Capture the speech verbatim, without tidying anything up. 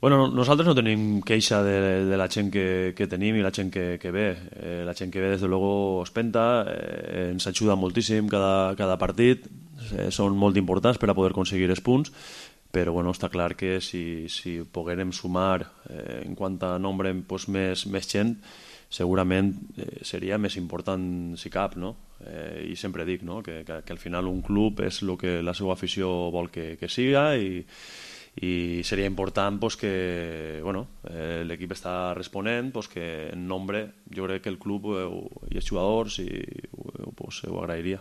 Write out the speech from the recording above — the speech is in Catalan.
Bueno, nosaltres no tenim queixa de, de la gent que, que tenim i la gent que, que ve. Eh, la gent que ve, des de luego, es penta, eh, ens ajuda moltíssim cada, cada partit, eh, són molt importants per a poder aconseguir els punts, però bueno, està clar que si, si poguérem sumar eh, en quant a nombre pues, més, més gent, segurament eh, seria més important si cap, no? Eh, I sempre dic, no?, que, que, que al final un club és el que la seva afició vol que, que siga, i i seria important pues, que bueno, eh, l'equip està responent, pues, que en nombre jo crec que el club eh, i els jugadors i, pues, ho agrairia.